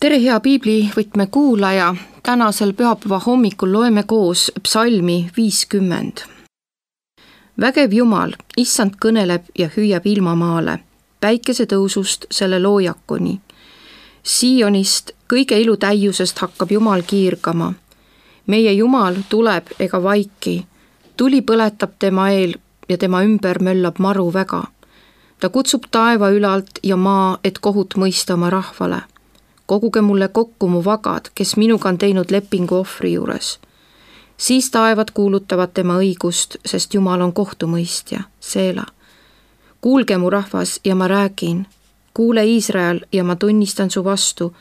Tere hea piiblivõtme kuulaja, tänasel pühapäeva hommikul loeme koos psalmi 50. Vägev Jumal, issand kõneleb ja hüüab ilmamaale, päikese tõusust selle loojakuni. Siionist kõige ilutäiusest hakkab Jumal kiirgama. Meie Jumal tuleb ega vaiki, tuli põletab tema eel ja tema ümber möllab maru väga. Ta kutsub taeva ülalt ja maa, et kohut mõista oma rahvale. Koguge mulle kokku mu vagad, kes minuga on teinud lepingu ohvri juures. Siis taevad kuulutavad tema õigust, sest Jumal on kohtumõistja, Seela. Kuulge mu rahvas ja ma räägin. Kuule Iisrael ja ma tunnistan su vastu.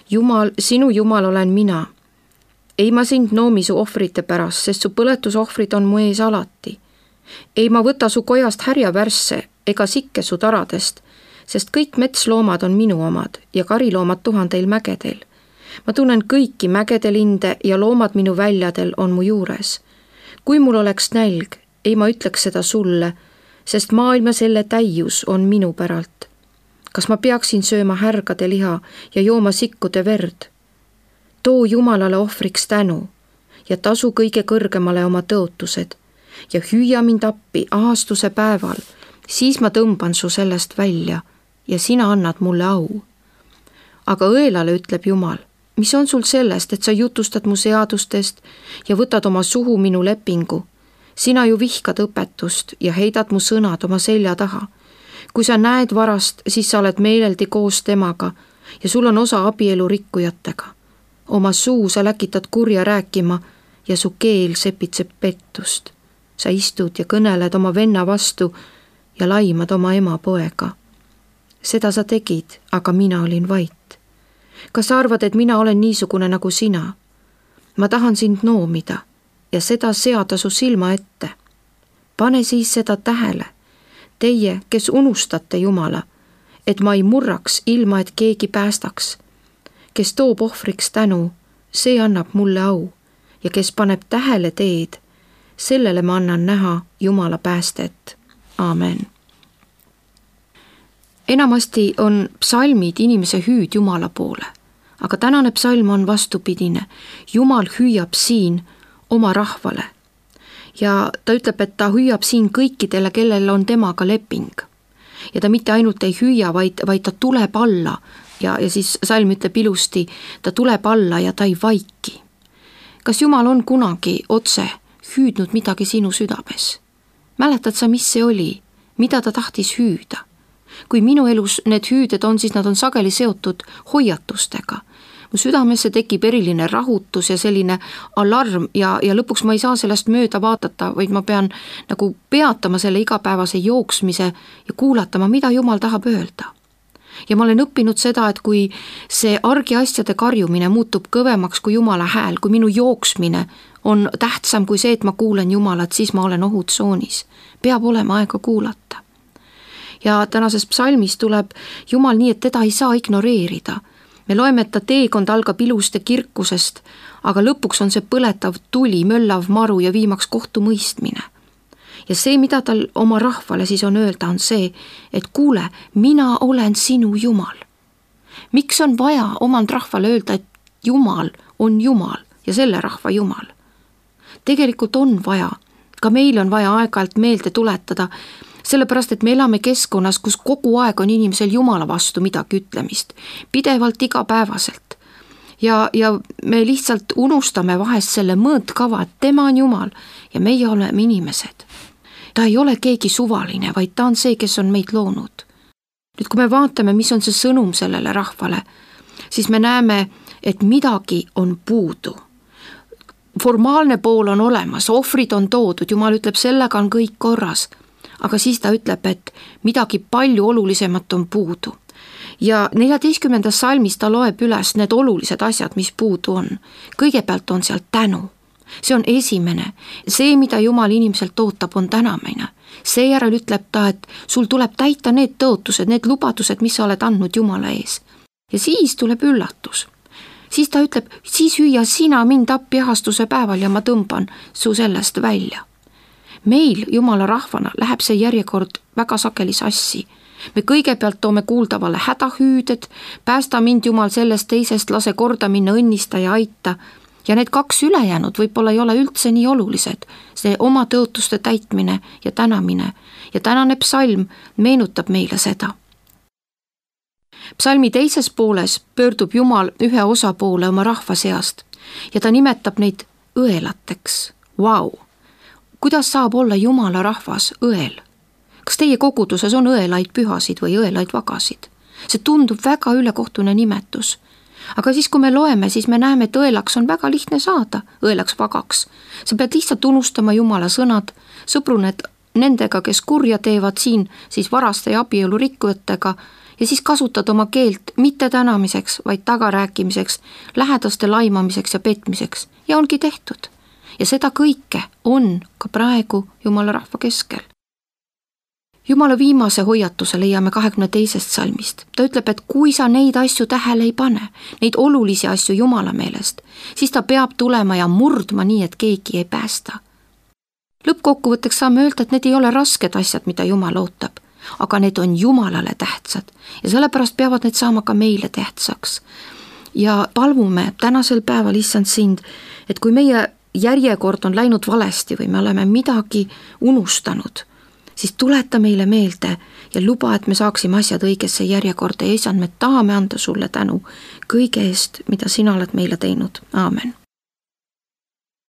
Jumal, sinu Jumal olen mina. Ei ma sind noomi su ohvrite pärast, sest su põletusohvrid on mu ees alati. Ei ma võta su kojast härjavärsse ega sikke su taradest, sest kõik metsloomad on minu omad ja kariloomad 1000 mägedel. Ma tunnen kõiki mägede linde ja loomad minu väljadel on mu juures. Kui mul oleks nälg, ei ma ütleks seda sulle, sest maailma selle täius on minu päralt. Kas ma peaksin sööma härgade liha ja jooma sikkude verd? Too Jumalale ohvriks tänu ja tasu kõige kõrgemale oma tõotused ja hüüa mind appi ahastuse päeval, siis ma tõmban su sellest välja ja sina annad mulle au. Aga õelale ütleb Jumal, mis on sul sellest, et sa jutustad mu seadustest ja võtad oma suhu minu lepingu? Sina ju vihkad õpetust ja heidad mu sõnad oma selja taha. Kui sa näed varast, siis sa oled meeleldi koos temaga ja sul on osa abielu rikkujatega. Oma suu sa läkitad kurja rääkima ja su keel sepitseb pettust. Sa istud ja kõneled oma venna vastu ja laimad oma ema poega. Seda sa tegid, aga mina olin vait. Kas sa arvad, et mina olen niisugune nagu sina? Ma tahan sind noomida ja seda seada su silma ette. Pane siis seda tähele, teie, kes unustate Jumala, et ma ei murraks ilma, et keegi päästaks. Kes toob ohvriks tänu, see annab mulle au ja kes paneb tähele teed, sellele ma annan näha Jumala päästet. Aamen. Enamasti on psalmid inimese hüüd Jumala poole, aga tänane psalm on vastupidine. Jumal hüüab siin oma rahvale ja ta ütleb, et ta hüüab siin kõikidele, kellel on temaga leping. Ja ta mitte ainult ei hüüa, vaid ta tuleb alla ja siis psalm ütleb ilusti, ta tuleb alla ja ta ei vaiki. Kas Jumal on kunagi otse hüüdnud midagi sinu südames? Mäletad sa, mis see oli? Mida ta tahtis hüüda? Kui minu elus need hüüded on, siis nad on sageli seotud hoiatustega. Mu südamesse tekib eriline rahutus ja selline alarm ja lõpuks ma ei saa sellest mööda vaadata, vaid ma pean nagu peatama selle igapäevase jooksmise ja kuulatama, mida Jumal tahab öelda. Ja ma olen õppinud seda, et kui see argiasjade karjumine muutub kõvemaks kui Jumala hääl, kui minu jooksmine on tähtsam kui see, et ma kuulen Jumalat, siis ma olen ohutsoonis. Peab olema aega kuulata. Ja tänases psalmis tuleb Jumal nii, et teda ei saa ignoreerida. Me loeme, et ta teekond algab ilust ja kirkusest, aga lõpuks on see põletav tuli, möllav maru ja viimaks kohtumõistmine. Ja see, mida tal oma rahvale siis on öelda, on see, et kuule, mina olen sinu Jumal. Miks on vaja omand rahvale öelda, et Jumal on Jumal ja selle rahva Jumal? Tegelikult on vaja, ka meil on vaja aeg-ajalt meelde tuletada, sellepärast, et me elame keskkonnas, kus kogu aeg on inimesel Jumala vastu midagi ütlemist, pidevalt igapäevaselt. Ja me lihtsalt unustame vahest selle mõõtkava, et tema on Jumal ja meie oleme inimesed. Ta ei ole keegi suvaline, vaid ta on see, kes on meid loonud. Nüüd, kui me vaatame, mis on see sõnum sellele rahvale, siis me näeme, et midagi on puudu. Formaalne pool on olemas, ohvrid on toodud, Jumal ütleb, sellega on kõik korras. Aga siis ta ütleb, et midagi palju olulisemat on puudu. Ja 14. salmis ta loeb üles need olulised asjad, mis puudu on. Kõigepealt on seal tänu. See on esimene. See, mida Jumal inimeselt ootab, on tänamine. Seejärel ütleb ta, et sul tuleb täita need tõotused, need lubadused, mis sa oled andnud Jumala ees. Ja siis tuleb üllatus. Siis ta ütleb, siis hüüa sina mind appi ahastuse päeval ja ma tõmban su sellest välja. Meil Jumala rahvana läheb see järjekord väga sageli sassi. me kõigepealt toome kuuldavale hädahüüded, päästa mind Jumal sellest teisest, lase korda minna, õnnista ja aita. Ja need 2 ülejäänud võib-olla ei ole üldse nii olulised, see oma tõotuste täitmine ja tänamine. Ja tänane psalm meenutab meile seda. Psalmi teises pooles pöördub Jumal ühe osapoole oma rahva seast ja ta nimetab neid õelateks. Vau! Kuidas saab olla Jumala rahvas õel? Kas teie koguduses on õelaid pühasid või õelaid vagasid? See tundub väga ülekohtune nimetus. Aga siis, kui me loeme, siis me näeme, et õelaks on väga lihtne saada, õelaks vagaks. Sa pead lihtsalt unustama Jumala sõnad, sõbruned nendega, kes kurja teevad siin, siis varaste ja abielu rikkujatega ja siis kasutad oma keelt mitte tänamiseks, vaid tagarääkimiseks, lähedaste laimamiseks ja petmiseks ja ongi tehtud. Ja seda kõike on ka praegu Jumala rahva keskel. Jumala viimase hoiatuse leiame 22. salmist. Ta ütleb, et kui sa neid asju tähele ei pane, neid olulisi asju Jumala meelest, siis ta peab tulema ja murdma nii, et keegi ei päästa. Lõppkokkuvõtteks saame öelda, et need ei ole rasked asjad, mida Jumal ootab, aga need on Jumalale tähtsad ja sellepärast peavad need saama ka meile tähtsaks. Ja palvume tänasel päeval, issand sind, et kui meie järjekord on läinud valesti või me oleme midagi unustanud, siis tuleta meile meelde ja luba, et me saaksime asjad õigesse järjekorda ja issand, me tahame anda sulle tänu kõige eest, mida sina oled meile teinud. Aamen.